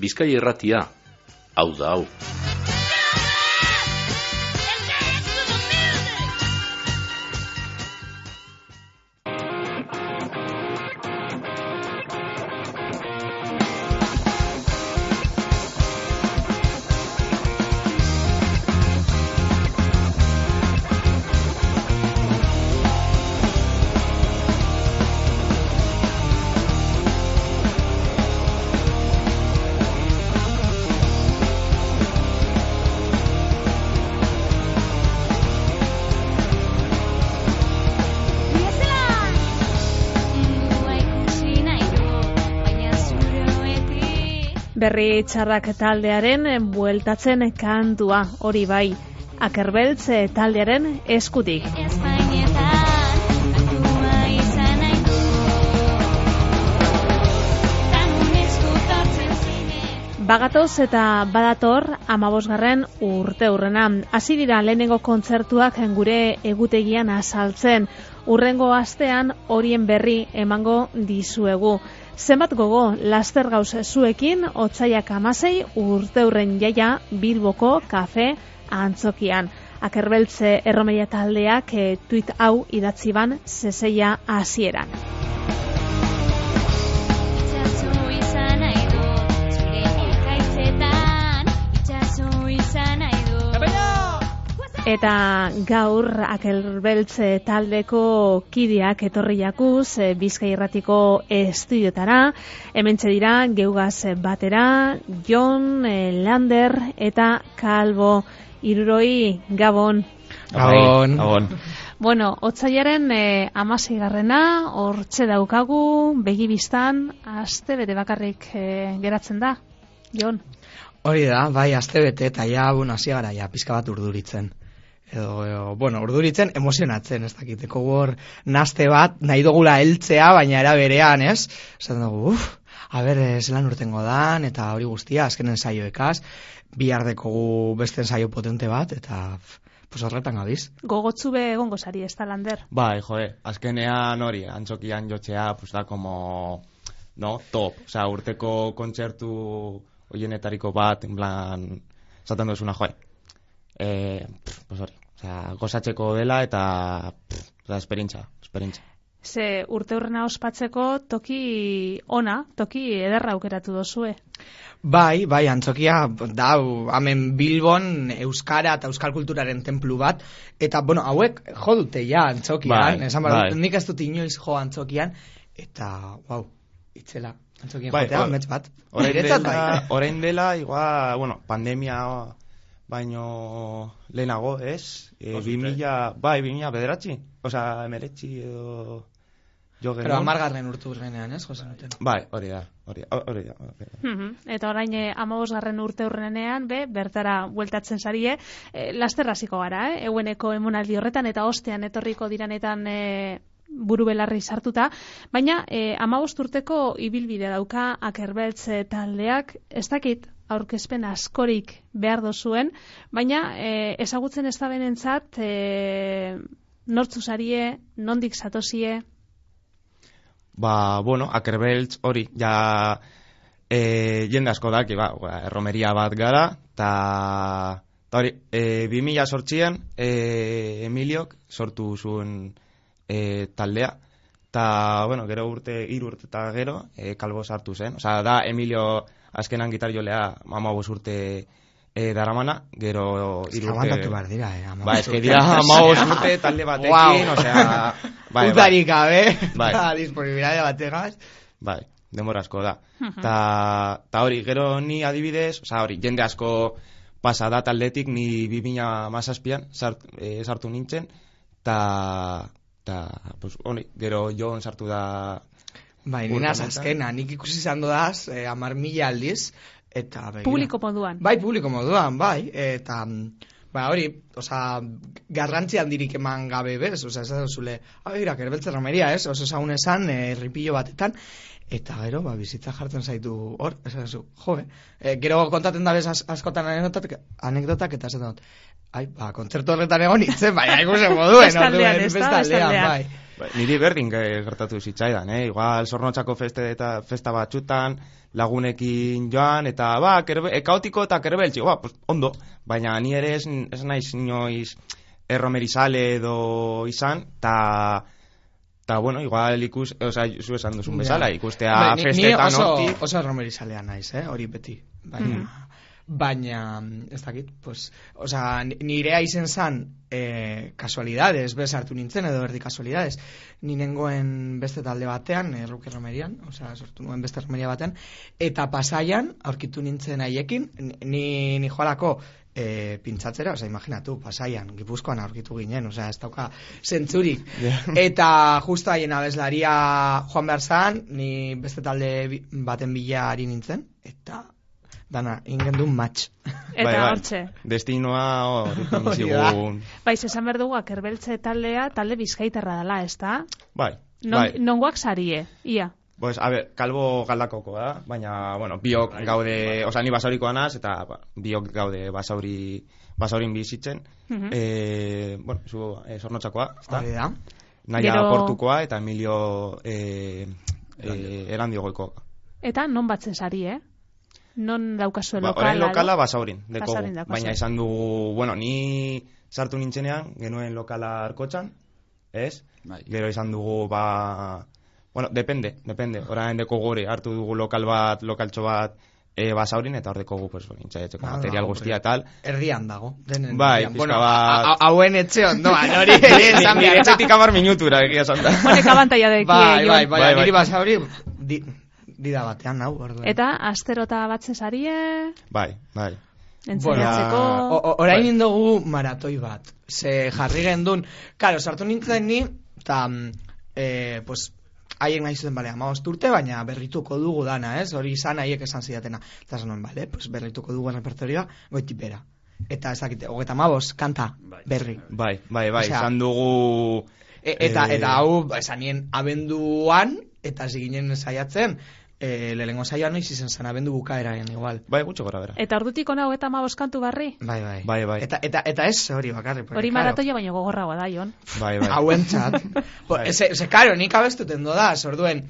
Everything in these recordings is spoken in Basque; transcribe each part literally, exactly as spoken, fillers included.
Bizkaia Irratia, hau da hau. Berri txarrak taldearen bueltatzen kantua, hori bai, Akerbeltz taldearen eskutik. Bagatoz eta badator hamabosgarren urte hurrena. Hasi dira lehenengo kontzertuak gure egutegian azaltzen. Hurrengo astean horien berri emango dizuegu. Zenbat gogo, laster gauz zuekin, otsaiak hamasei urte hurren jaia Bilboko kafe antzokian. Akerbeltz erromeia taldeak e, tuit hau idatzi ban zezeia hasieran. Eta gaur Akerbeltz taldeko kideak etorri jakuz Bizkaia Irratiko estudiotara. Hementxe dira geugaz batera, Jon, Lander eta Kalbo. Hiruroi, Gabon. Gabon. Gabon. Bueno, otsaiaren eh, hamaseigarrena, hortxe daukagu, begibistan, aste bete bakarrik eh, geratzen da, Jon. Hori da, bai, aste bete, eta ja, bueno, hasi gara, ja, pizka bat urduritzen. Edo, edo, bueno, urduritzen, emozionatzen, ez dakiteko hor, naste bat, nahi dugula heltzea, baina era berean, ez? Zaten dugu, uff, a ber, zelan urtengo dan, eta hori guztia, azkenen saioekaz, bihar dekogu beste ensaio potente bat, eta, pues horretan gabiz. Gogotzu be egongo sari, ez da, Lander? Bai, joe, azkenean hori, antzokian jotzea, pues da, como, no, top, o sea, urteko kontzertu hoienetariko bat, en plan, zaten duzuna, joe, eh, pues hori, o sea, gozatzeko dela eta, pff, o sea, esperintza, esperintza. Ze urte hurrena ospatzeko toki ona, toki ederra aukeratu dozue. Bai, bai, antzokia, da, hemen Bilbon euskara eta euskal kulturaren templu bat, eta, bueno, hauek jo dute ja antzokian, bai, esan bai. Nik ez dut inoiz jo antzokian, eta, wow, itzela, antzokian bai, jotea, or, mets bat. Orain dela, orain dela, igual, bueno, pandemia baino lehenago, ez? E, bimila, bai, bimila bederatzi, osea, emeretzi edo... Jo, pero amargarren urtu urrenean, ez, Jose Nuten? Bai, hori da, hori da, hori da. Hori da. Mm-hmm. Eta orain hamabosgarren urte urrenean, be, bertara bueltatzen zarie, e, lasterraziko gara, eh? Eueneko emonaldi horretan, eta ostean etorriko diranetan e, buru belarri sartuta, baina e, hamabost urteko ibilbide dauka Akerbeltz taldeak, ez dakit, aurkezpen askorik behar dozuen, baina e, ezagutzen ez da benentzat, e, nortzu zarie, nondik zatozie? Ba, bueno, Akerbeltz hori, ja e, jende asko daki, ba, erromeria bat gara, eta hori, e, bi mila sortzian e, Emiliok sortu zuen e, taldea, eta, bueno, gero urte, hiru urte eta gero, e, Kalbo sartu zen, osea, da Emilio azkenan gitar jolea hamabos urte e, daramana, gero hiru urte... Abandatu behar dira, eh? Ba, ez que dira hamabos urte talde batekin, wow. Osea... Bai, Utarik gabe, bai. Eta disponibilidade bategaz. Bai, denbora asko da. Ta, ta hori, gero ni adibidez, oza, hori, jende asko pasa da taldetik, ni bi mila hamazazpian sart, e, sartu nintzen, ta, ta, pues, hori, gero Jon sartu da... Bai, nina azkena, nik ikusi izan dodaz, eh, amar mila aldiz, eta... Begira. Publiko moduan. Bai, publiko moduan, bai, eta... Ba, hori, Osa, garrantzi handirik eman gabe, bez? Osa, ez da zule, abeira, kerbeltze romeria, ez? Oso zaun esan, eh, ripillo batetan, eta gero, ba, bizitza jartzen zaitu hor, ez da zu, jo, eh, gero kontaten da bez az, askotan anekdotak, anekdotak eta zen dut, ai, ba, kontzertu horretan egon itzen, bai, ikusen moduen, bestaldean, ez da, bestaldean, bai. Ba, niri berdin gertatu zitzaidan, eh? Igual Zornotzako feste eta festa batzutan, lagunekin joan, eta ba, kerbe, e, kaotiko eta kerbeltzi, ba, pues, ondo, baina ni ere ez, ez naiz inoiz erromerizale edo izan, eta ta bueno, igual ikus, oza, zu esan duzun bezala, ikustea Hombre, festetan oso, hortik. oso erromerizalea naiz, eh, hori beti, baina, mm. baina, ez dakit, pues, oza, nirea izen zan, eh, kasualidades, bez hartu nintzen, edo erdi kasualidades, ni nengoen beste talde batean, erruke eh, romerian, oza, sortu nuen beste romeria batean, eta pasaian, aurkitu nintzen haiekin, ni, ni joalako, E, pintzatzera, oza, imaginatu, pasaian, Gipuzkoan aurkitu ginen, oza, ez dauka zentzurik. Yeah. Eta justo haien abeslaria joan behar zan, ni beste talde baten bila ari nintzen, eta dana, ingen duen match. Eta bai, bai. hortxe. Destinoa horrekin zigun. Bai, esan behar dugu, akerbeltze taldea, talde bizkaitarra dela, ez da? Bai, non, bai. Nongoak sarie, ia. Pues, a ver, kalbo galdakoko da, baina, bueno, biok gaude, oza, ni basaurikoa naz, eta ba, biok gaude basauri, basaurin bizitzen. Uh-huh. E, bueno, zu, e, Zornotzakoa, ez da? da. Naia Gero... Portukoa eta Emilio e, e, Erandiogoiko. Eta non batzen sari, eh? Non daukazue ba, lokala? Orain lokala basaurin, dekogu. Basaurin Baina izan dugu, bueno, ni sartu nintzenean, genuen lokala Arkotxan, ez? Bai. Gero izan dugu, ba... Bueno, depende, depende. Orain deko gore hartu dugu lokal bat, lokaltxo bat e, basaurin, eta hor deko gu, pues, intxaietxeko ah, material guztia tal. Erdian dago. Denen, bai, erdian. pizka Bueno, bat... hauen etxe ondoan, hori ere esan behar. Nire etxetik amar minutura, egia esan da. Honek abantaia deki. Bai, bai, bai, bai, niri basauri, di, dida batean, hau, orduen. Eta asterota batzen sarie... Bai, bai. Entzenatzeko... Bueno, orain bai. Indogu maratoi bat. Ze jarri gendun, karo, sartu nintzen ni, eta, eh, pues, haiek nahi zuten, bale, amabost urte, baina berrituko dugu dana, ez? Hori izan haiek esan zidatena. Eta esan nuen, bale, pues berrituko dugu repertorioa, goitipera. Eta ez dakite, hogeita amabost, kanta, berri. Bai, bai, bai, Osea, izan dugu... E, eta, eh... eta hau, esan nien abenduan, eta ziginen saiatzen, e, lehenengo saioan noiz izen zen, abendu bukaeraen, igual. Bai, gutxo gora bera. Eta ordutik ona hogeita hamabost kantu barri? Bai, bai. Bai, bai. Eta, eta, eta ez hori bakarri. Hori maratoia baino gogorragoa da, Jon. Bai, bai. Hauen txat. Eze, eze, karo, nik abestuten doda, orduen.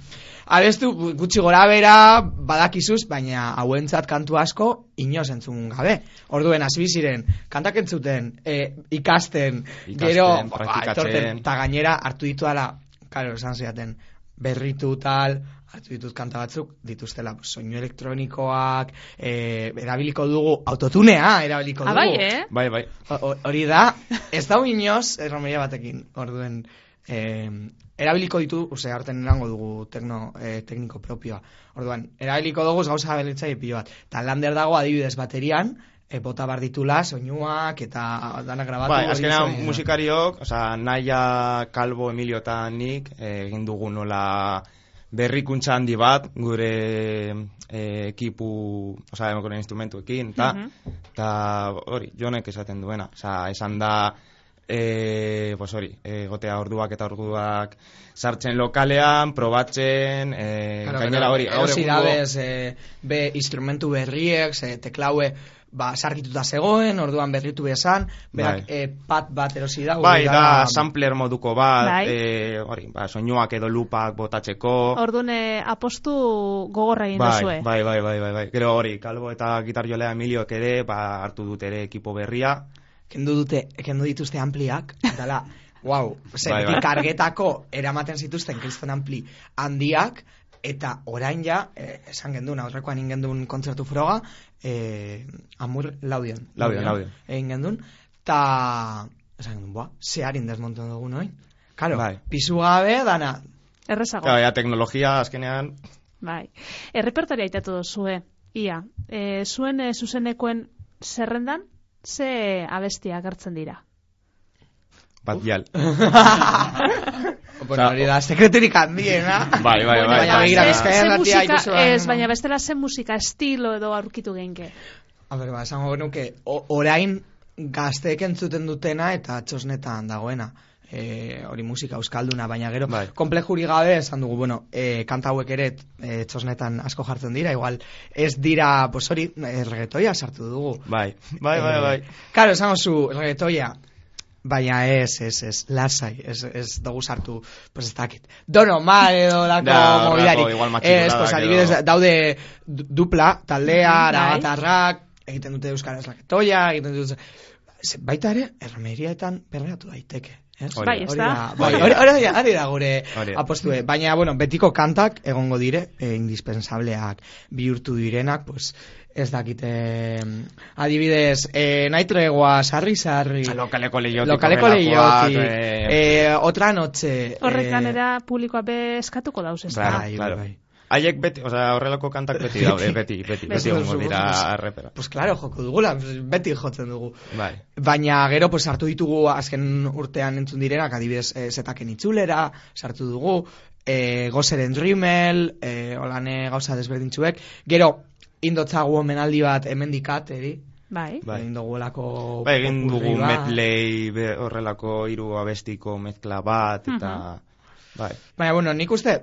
Abestu gutxi gora bera badakizuz, baina hauentzat kantu asko inoz entzun gabe. Orduen, hasi ziren, kantak entzuten, e, ikasten, ikasten, gero, praktikatzen. Eta gainera hartu ditu ala, karo, esan ziaten, berritu tal, hartu ditut kanta batzuk, dituztela soinu elektronikoak, e, erabiliko dugu, autotunea erabiliko dugu. Ah, bai, eh? Bai, bai. Hori da, ez da inoz, erromeria batekin, orduen, eh, erabiliko ditu, ose, harten erango dugu tekno, eh, tekniko propioa. Orduan, erabiliko dugu gauza belitzai pilo bat. Ta lander dago adibidez baterian, e, bota bar ditula, soinuak, eta dana grabatu. Bai, azkenean musikariok, oza, Naia, Kalbo, Emilio eta nik, egin dugu nola berrikuntza handi bat, gure e, ekipu, oza, gure instrumentuekin, eta, eta uh-huh. hori, Jonek esaten duena, oza, esan da, E, pues hori, e, gotea orduak eta orduak sartzen lokalean, probatzen, e, claro, gainera hori. Erosi dabez, e, be instrumentu berriek, e, teklaue, ba, sarkituta zegoen, orduan berritu bezan, berak, bai. e, pat bat erosi da. Bai, da, da, sampler moduko bat, bai. e, hori, ba, soinuak edo lupak botatzeko. Orduan, e, apostu gogorra egin bai, duzue. Bai, bai, bai, bai, bai. Gero hori, Kalbo eta gitarjolea Emilioek ere, ba, hartu dut ere ekipo berria. Kendu dute, kendu dituzte ampliak, dala, wow, bai, bai. Kargetako eramaten zituzten kriston ampli handiak, eta orain ja, eh, esan gendun, aurrekoan ingendun kontzertu froga, eh, amur laudion. Laudion, laudion. Egin gendun, eta, esan gendun, boa, zeharin desmontu dugu noin. Karo, bai. Pisu gabe, dana. Errezago. Claro, ya teknologia, azkenean. Bai. Errepertoria itatu duzue, ia. E, zuen e, zuzenekoen zerrendan, ze abestia agertzen dira? Bat jal. Bueno, hori da, sekreturik handiena. Bai, bai, bai. Baina begira, bizkaia ratia ikusuan. Ez, baina bestela zen musika estilo edo aurkitu genke. A ber, ba, esango genuke, orain gazteek entzuten dutena eta txosnetan dagoena. E, hori musika euskalduna, baina gero bai. komplejuri gabe esan dugu, bueno, e, kanta hauek ere e, txosnetan asko jartzen dira, igual ez dira, pues hori, e, reggaetoia sartu dugu. Bai, bai, bai, bai. E, Karo, esan zu, reggaetoia, baina ez, ez, ez, lasai, ez, ez dugu sartu, pues ez dakit. Dono, mal edo lako Da, mobilari. horrelako, igual matxikuladak Ez, pues adibidez, edo- daude du- dupla, taldea, Bai. arabatarrak, egiten dute euskaraz reggaetoia, egiten dute... Ze- Baita ere, erromeriaetan perreatu daiteke. Ez? Hori Bai, da. ez Hori da. da, bai, Hori hori, da. hori, da- hori da gure Hori da. apostue. Baina, bueno, betiko kantak egongo dire, e, indispensableak bihurtu direnak, pues, ez dakite, adibidez, e, nahi tregua, sarri, sarri, Lokaleko lehiotik. lokaleko horrelakoak, lehiotik, eh, e, otra noche. Horrek eh, ganera publikoa be eskatuko dauz, ez da? Claro, Bai, claro. bai. Haiek beti, osea, horrelako kantak beti daude, beti, beti, beti egongo dira arrepera. Pues claro, joko dugula, beti jotzen dugu. Bai. Baina gero pues sartu ditugu azken urtean entzun direnak, adibidez e, zetaken itzulera, sartu dugu, e, gozeren Rimmel, e, olane gauza desberdintzuek, gero indotzagu omenaldi bat hemendikat, eri, Bai. Bai. egin dugulako Bai, egin dugu popurri bat. medley, be- horrelako hiru abestiko mezkla bat, eta... Bai. Baina, bueno, nik uste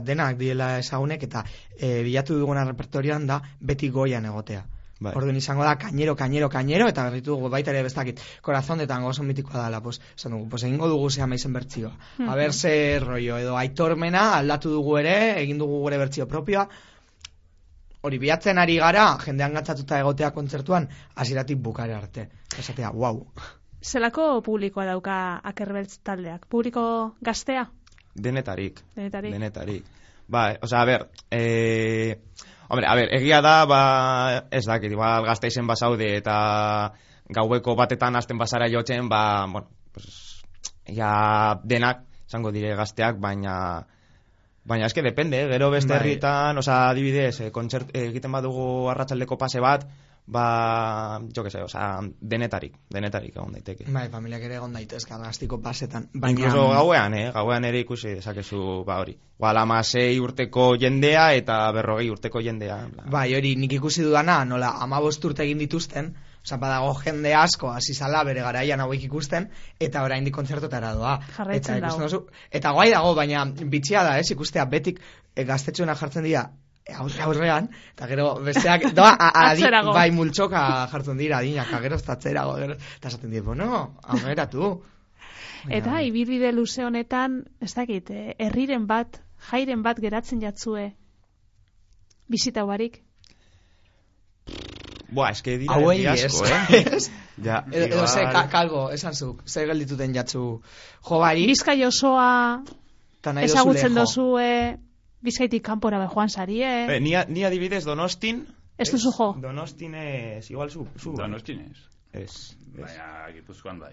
denak diela ezagunek eta e, bilatu duguna repertorioan da beti goian egotea. Bai. Orduan izango da kañero, kañero, kañero, eta berritu dugu baita ere bestakit, korazon de tango oso mitikoa dela, pues, esan dugu, pues egingo dugu zea maizen bertzioa. A ber, ze rollo, edo aitormena aldatu dugu ere, egin dugu gure bertzio propioa, hori bilatzen ari gara, jendean gatzatuta egotea kontzertuan, hasieratik bukare arte. Esatea, wow. Zelako publikoa dauka Akerbeltz taldeak? Publiko gaztea? Denetarik. Denetarik. Denetarik. Bai, osea, a ber, eh... Hombre, a ber, egia da, ba, ez dakit, igual Gasteizen basaude eta gaueko batetan hasten basara jotzen, ba, bueno, pues, ja denak, izango dire gazteak, baina, baina eske depende, eh? Gero beste Bai. herritan, osea, adibidez, eh, kontzert, eh, egiten badugu arratsaldeko pase bat, ba, jo que se, osea, denetarik, denetarik egon daiteke. Bai, familiak ere egon daitezka gaztiko pasetan. Baina, Incluso gauean, eh? Gauean ere ikusi dezakezu, ba hori. Igual amasei urteko jendea eta berrogei urteko jendea. Bla. bai, hori nik ikusi dudana, nola amabost urte egin dituzten, oza, badago jende asko, hasi zala bere garaian hauek ikusten, eta oraindik kontzertotara doa. Jarraitzen eta, ikusten dago. duzu- eta guai dago, baina bitxia da, ez, ikustea betik e, gaztetxoena jartzen dira, e, aurre aurrean, eta gero besteak, doa, a, a, adi, Atzerago. bai multzoka jartzen dira, adinak, eta gero ez tatzerago, gero, eta esaten dira, bueno, ameratu. Eta ibilbide luze honetan, ez dakit, eh, herriren bat, jairen bat geratzen jatzue bizita barik. Buah, eske dira Hauei herri ez, asko, eh? ez? Ja, Edo, edo ze, igual- ka, kalbo, esan zuk, zer geldituten jatzu jobari, Bizkai osoa eta nahi ezagutzen dozu dozue, Bizkaitik kanpora be joan sarie. Eh, ni, ni adibidez Donostin... Ez duzu jo? Donostin ez, igual zu... zu Donostinez. Ez, ez. Baina Gipuzkoan bai.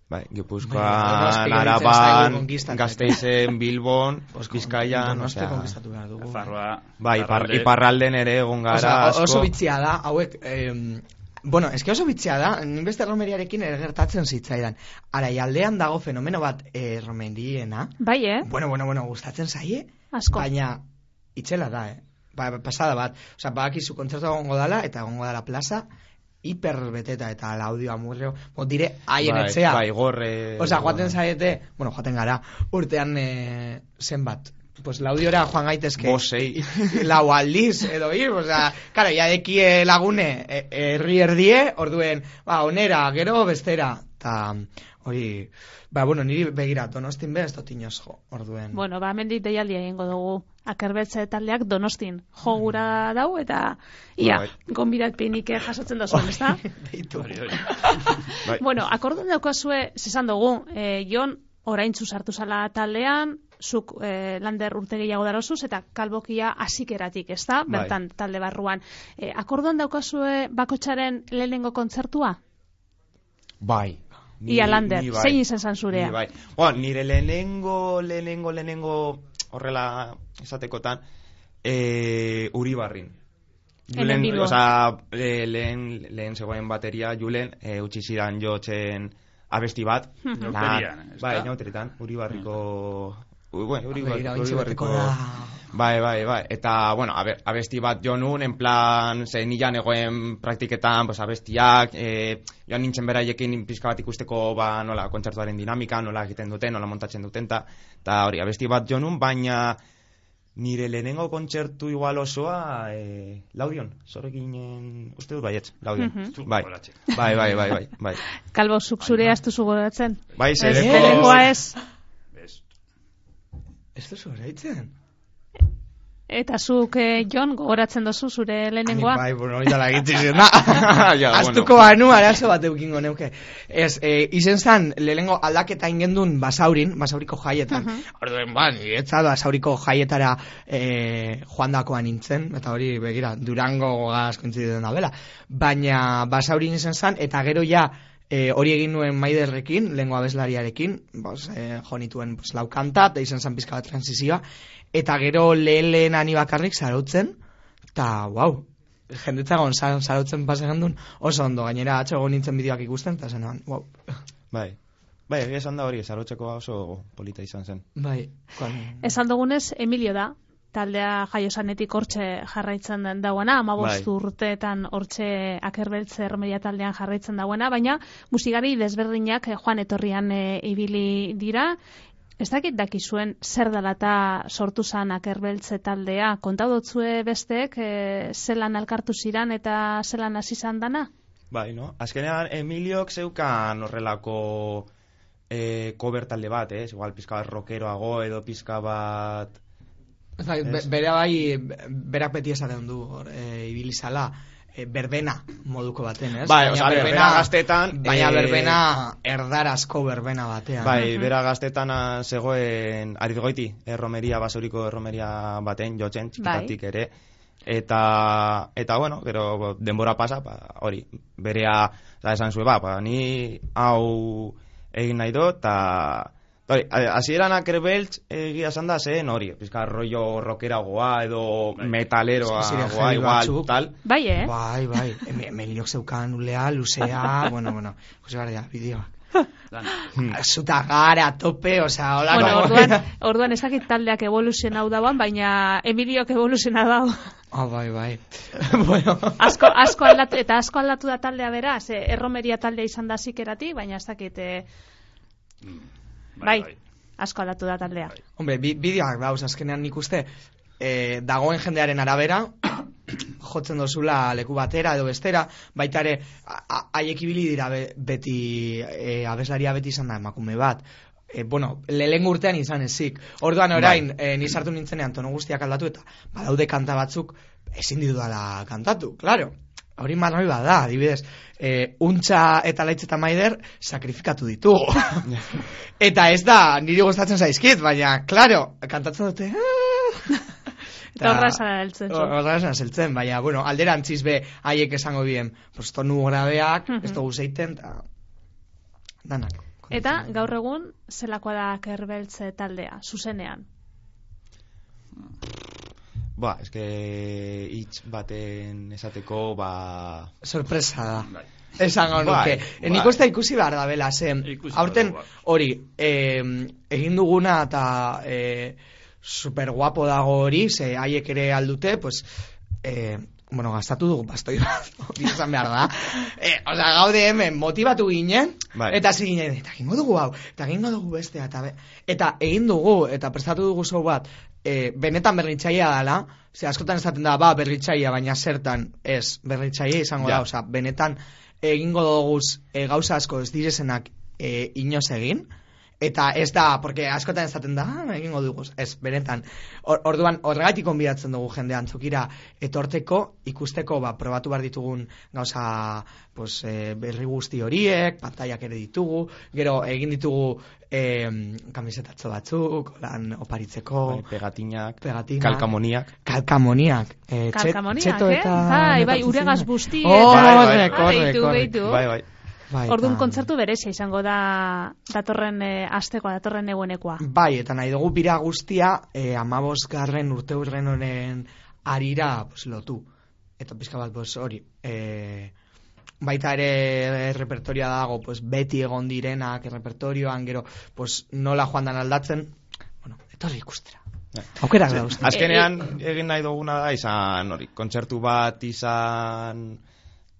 Bai, Bai, Gipuzkoan, Donosti gelditzen Araban, zaigu konkistatzen. Gasteizen, Bilbon, Bizkaian, Donosti osea... konkistatu behar dugu. Farroa. Bai, ipar, iparralde. iparralden ere egon gara Osea, o- asko. oso bitzia da, hauek, eh, bueno, eske oso bitzia da, nin beste romeriarekin ere gertatzen zitzaidan. Araialdean dago fenomeno bat eh, romeriena, Bai, eh? bueno, bueno, bueno, gustatzen zaie, Asko. baina itzela da, eh? Ba, pasada bat, osea, badakizu kontzertu egongo dala, eta egongo dala plaza, hiperbeteta eta laudioa murreo, bo, dire, haien Bai, etxea. bai, gorre... Osea, joaten zaete, bueno, joaten gara, urtean eh, zenbat, pues laudiora joan gaitezke Bosei. lau aldiz, edo ir, osea, karo, ja dekie lagune e- herri erdie, orduen, ba, onera, gero bestera, eta hori, ba, bueno, niri begira, Donostin be, ez dut inoz jo, orduen. Bueno, ba, mendik deialdia egingo dugu. Akerbeltze taldeak Donostin jo gura dau, eta ia, Bai. gonbidatpenik jasotzen da zuen, ezta? Deitu. Hori, hori. Bai. Bueno, akordon daukazue, zesan dugu, eh, Jon, oraintzu sartu zala taldean, zuk eh, lander urte gehiago darozuz, eta kalbokia hasikeratik, ezta? Bai. Bertan talde barruan. Eh, akordon daukazue bakotxaren lehenengo kontzertua? Bai. Ia Lander, ni bai. zein izan zan zurea? Ni bai. Bueno, nire lehenengo, lehenengo, lehenengo, horrela esatekotan, e, Uribarrin. Hemen Bilbon. Osa, e, lehen, lehen zegoen bateria, Julen, e, utzi zidan jotzen abesti bat. Mhm. La- Nauterian, ez Bai, da? nauteritan, Uribarriko, bueno, hori bai, Begira, hori ointxe barriko... beteko da. Bai, bai, bai. Eta, bueno, abe, abesti bat jo nun, en plan, ze nilan egoen praktiketan, pues, abestiak, e, joan nintzen beraiekin pizka bat ikusteko, ba, nola, kontzertuaren dinamika, nola egiten duten, nola montatzen duten, ta, ta hori, abesti bat jo nun, baina nire lehenengo kontzertu igual osoa, e, Laudion, zorreginen, uste dut baietz, Laudion. Mhm. Bai, bai, bai, bai, bai, bai. Kalbo, zuk zure astuzu goratzen? Bai, Ez, zereko... lehenengoa ez. Ez duzu eraitzen? Eta zuk, eh, Jon, gogoratzen dozu zure lehenengoa? Bai, bueno, hori dala egitzen da. Ja, Astuko banu, arazo bat eukingo neuke. Ez, e, izen zan, lehenengo aldaketa ingendun basaurin, basauriko jaietan. Mhm. Orduen, ba, niretza basauriko jaietara e, joandakoan nintzen, eta hori, begira, Durango gaz kointzideten da bela. Baina basaurin izen zan, eta gero ja, E, hori egin nuen Maiderrekin, lehengo abeslariarekin, bos, e, jo nituen bos, lau kanta, eta izan zan pizka bat transizioa, eta gero lehen lehen ani bakarrik zarautzen, eta, wow, jendetzagon zarautzen pasegan duen, oso ondo, gainera atxo egon nintzen bideoak ikusten, eta zen, wow. Bai, bai, egia esan da hori, zarautzeko oso polita izan zen. Bai, kon... Esan dugunez, Emilio da, taldea jaiosanetik hortxe jarraitzen dauena, amabost Bai. urteetan hortxe Akerbeltze Erromeria taldean jarraitzen dauena, baina musikari desberdinak eh, joan etorrian eh, ibili dira. Ez dakit dakizuen zer dela eta sortu zan Akerbeltze taldea, kontau dotzue besteek eh, zelan elkartu ziran eta zelan hasi zan dana? Bai, no? Azkenean Emiliok zeukan horrelako eh, cover talde bat, eh? Igual pizka bat rockeroago edo pizka bat... Bai, be, bera bai, berak beti esaten du, hor, e, ibilizala, e, berbena moduko baten, ez? Bai, baina oza, berbena, bera gaztetan... Baina eh, berbena erdarazko berbena batean. Bai, bera gaztetan ah, zegoen aritgoiti, erromeria, basauriko erromeria baten jotzen, txikitatik Bai. ere. Eta, eta bueno, gero denbora pasa, ba, hori, berea, da esan zue, ba, ba, ni hau egin nahi dut, eta... Hori, hasieran Akerbeltz egia esan da zen hori, pizka rollo rockeragoa edo metaleroagoa igual, batzuk. tal. Bai, eh? Bai, bai, Emiliok zeukan ulea, luzea, bueno, bueno, jose gara, bideoak. Zuta gara, tope, osea, hola... Bueno, no. orduan, orduan ezakit taldeak evoluzionau dauan, baina Emiliok evoluzionau dau. Ah, bai, bai. Bueno. Asko, asko aldatu, eta asko aldatu da taldea bera, ze erromeria taldea izan da zikerati, baina ez dakit... Eh, bai, bai, asko aldatu da taldea. Hombre, bi, bideoak dauz, azkenean nik uste, eh, dagoen jendearen arabera, jotzen dozula leku batera edo bestera, baita ere, haiek ibili dira be, beti, e, abeslaria beti izan da emakume bat. E, bueno, lehen urtean izan ezik. Orduan orain, bai. e, nizartu nintzenean tono guztiak aldatu eta badaude kanta batzuk ezin dudala kantatu, claro. Hori marroi bada, adibidez, e, untxa eta laitz eta maider sakrifikatu ditugu. Eta ez da, niri gustatzen zaizkit, baina, claro, kantatzen dute... Eta horra esan eltzen. Horra esan eltzen, baina, bueno, alderantziz be, haiek esango bien, pues tonu grabeak, ez dugu zeiten, eta danak. Eta, gaur egun, zelakoa da Akerbeltze taldea, zuzenean? Ba, eske hitz baten esateko, ba... Sorpresa da. Esango nuke. Bai, Nik uste ikusi behar da bela, ze, aurten hori, eh, egin duguna eta... Eh, super guapo dago hori, ze haiek ere aldute, pues, eh, bueno, gastatu dugu bastoi bat, bizan behar da. Eh, Osa, gaude hemen, motibatu ginen, bai. Eta zi ginen, eta egingo dugu hau, eta egingo dugu bestea, eta, be, eta egin dugu, eta prestatu dugu zau bat, eh, benetan berritxaia dela, ze askotan esaten da, ba, berritxaia, baina zertan, ez, berritxaia izango ja. Da, oza, benetan egingo dugu e, gauza asko ez direzenak e, inoz egin, eta ez da, porque askotan esaten da, ah, egingo dugu, ez, benetan. Or, orduan, horregatik konbidatzen dugu jende antzukira etorteko, ikusteko, ba, probatu behar ditugun gauza, pues, e, berri guzti horiek, pantaiak ere ditugu, gero egin ditugu e, kamisetatzo batzuk, lan oparitzeko, bai, pegatinak, pegatinak, kalkamoniak, kalkamoniak, e, kalkamoniak, txeto eh? eta... Bai, bai, uregaz busti, oh, eta... Bai, bai, bai, bai, bai. Bai, orduan ta... kontzertu berezia izango da datorren e, astekoa, datorren egunekoa. Bai, eta nahi dugu bira guztia e, amabosgarren urte urren honen arira pues, lotu. Eta pizka bat pues, hori. E, baita ere repertorioa dago pues, beti egon direnak repertorioan, gero pues, nola joan dan aldatzen, bueno, etorri ikustera. Aukerak da uste. Azkenean egin nahi duguna da izan hori, kontzertu bat izan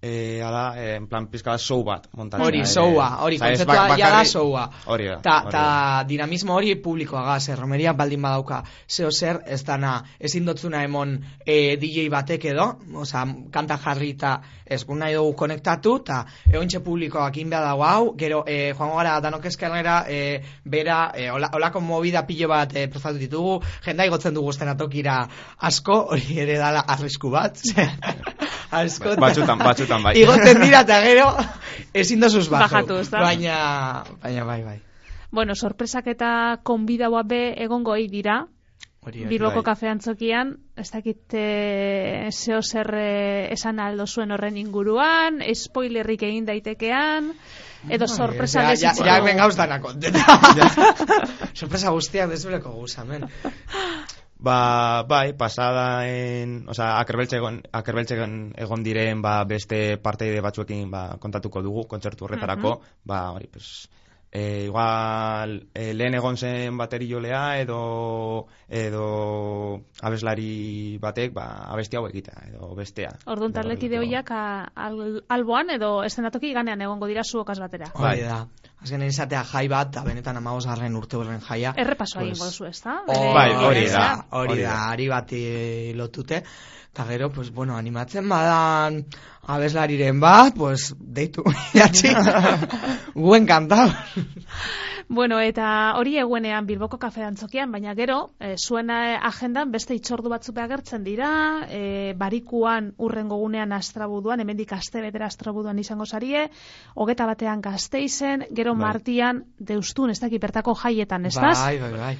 eh ala, eh, en plan pizka bat show bat montatzen. Hori showa, hori kontzertua ja da showa. Hori da. Ta ta dinamismo hori publikoaga, ze romeria baldin badauka zeo zer ez dana ezin dotzuna emon eh, D J batek edo, osea, kanta jarrita ez gu nahi dugu konektatu ta egontxe publikoak inbea dago hau, gero eh, joango gara danok eskalera eh, bera eh, hola, holako movida pilo bat eh, prestatu ditugu, jenda igotzen dugu estenatokira asko, hori ere dala arrisku bat. Asko, batzutan, batzutan bai. Igotzen dira eta gero ezin dozuz bajatu, baina, baina bai, bai. Bueno, sorpresak eta konbidaua be egongo ei dira. Bilboko bai. kafe antzokian, ez dakit e, zeo zer e, esan aldo zuen horren inguruan, spoilerrik egin daitekean, edo sorpresa bai, desitzu. Ja, ja, ben gauz dana konteta. Sorpresa guztiak desbeleko guzamen. Ba, bai, pasada en, o sea, akerbeltzegon akerbeltzegon egon diren ba beste parteide batzuekin ba kontatuko dugu kontzertu horretarako, uh -huh. ba hori, pues eh igual eh, lehen egon zen bateriolea edo edo abeslari batek ba abesti hau egita edo bestea. Orduan talekide hoiak al, alboan edo eszenatoki ganean egongo dira zuokaz batera. Hori da. Azkenean izatea jai bat, da benetan amabosgarren urte horren jaia. Errepasoa egingo duzu, ez da? Bai, hori da. Hori da, ari bati lotute. Eta gero, pues, bueno, animatzen badan abeslariren bat, pues, deitu, jatxi, guen kantau. Bueno, eta hori eguenean Bilboko kafe antzokian, baina gero, e, zuen agendan beste itzordu batzuk agertzen dira, e, barikuan urrengo gunean Astrabuduan, hemendik aste betera Astrabuduan izango zarie, hogeta batean Gasteizen, gero bai. Martian Deustun, ez dakit bertako jaietan, ez da? Bai, bai, bai.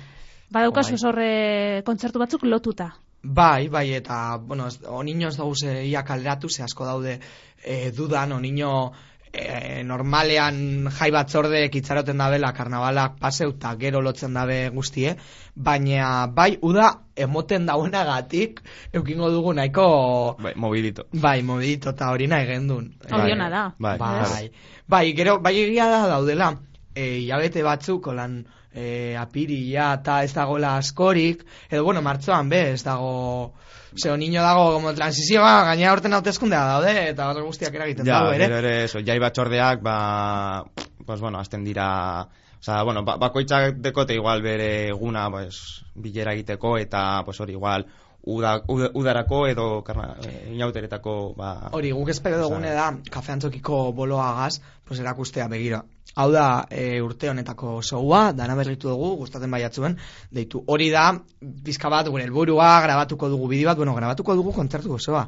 Badaukazu bai. Horre kontzertu batzuk lotuta. Bai, bai, eta, bueno, onino ez dauz e, ia kalderatu, ze asko daude e, dudan, onino e, normalean jai batzorde kitzaroten dabela karnabalak paseu eta gero lotzen dabe guztie, baina bai, uda emoten dauenagatik eukingo dugu nahiko bai, mobilito. Bai, mobilito eta hori nahi gendun. Horiona da. Bai, bai, bai, bai, gero, bai egia da daudela, e, hilabete batzuk, olan, E, apiria eta ez dagoela askorik, edo bueno, martzoan be, ez dago, zeo niño dago como transizioa, gaina horten hauteskundea daude, eta horre guztiak eragiten ja, dago, ere? Ja, ere, eso, jai batxordeak, ba, pues bueno, azten dira, o sea, bueno, ba, bakoitzak dekote igual bere eguna, pues, bilera egiteko, eta, pues hori, igual, Uda, uda, udarako edo karna, e, inauteretako ba... Hori, guk espero dugune da kafe antzokiko boloagaz pues erakustea begira. Hau da e, urte honetako showa, dana berritu dugu, gustatzen baiatzuen, deitu hori da, bizka bat gure helburua, grabatuko dugu bideo bat, bueno, grabatuko dugu kontzertu gozoa.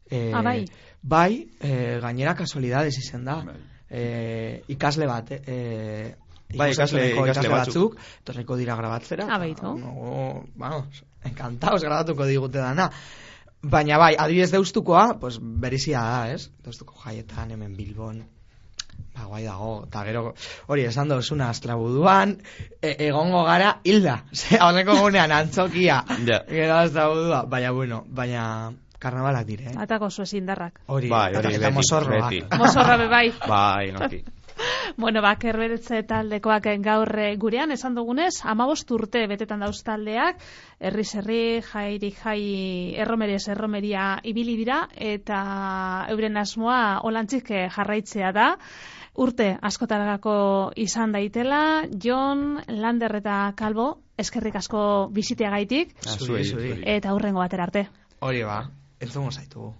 E, ah, bai? Bai, e, gainera kasualidades izen da. E, ikasle bat, e, bai, ikasle, ikasle, ikasle batzuk, torreko dira grabatzera. Ah, baitu. No, vamos, encantaos grabatuko digute dana. Baina bai, adibidez Deustukoa, pues berizia da, ez? Deustuko jaietan, hemen Bilbon, ba, guai dago, eta gero, hori, esan dozuna Astrabuduan, e egongo gara hilda, ze, honeko gunean antzokia, ja. Gero Astrabudua, baina, bueno, baina... Karnabalak dire, eh? Atako zuez indarrak. Hori, bai, hori, eta mozorroa. Mozorra bebai. Bai, noki. Bueno, ba, kerberetze taldekoak gaur gurean, esan dugunez, amabost urte betetan dauz taldeak, herriz herri, jairi jai, erromeria erromeria ibili dira, eta euren asmoa olantzik jarraitzea da. Urte askotarako izan daitela, Jon, Lander eta Kalbo, eskerrik asko biziteagaitik, zuri, zuri. Eta hurrengo batera arte. Hori ba, entzungo zaitugu.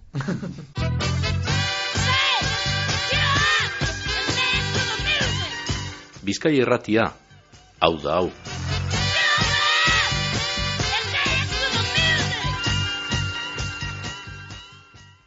Bizkai irratia, hau da hau.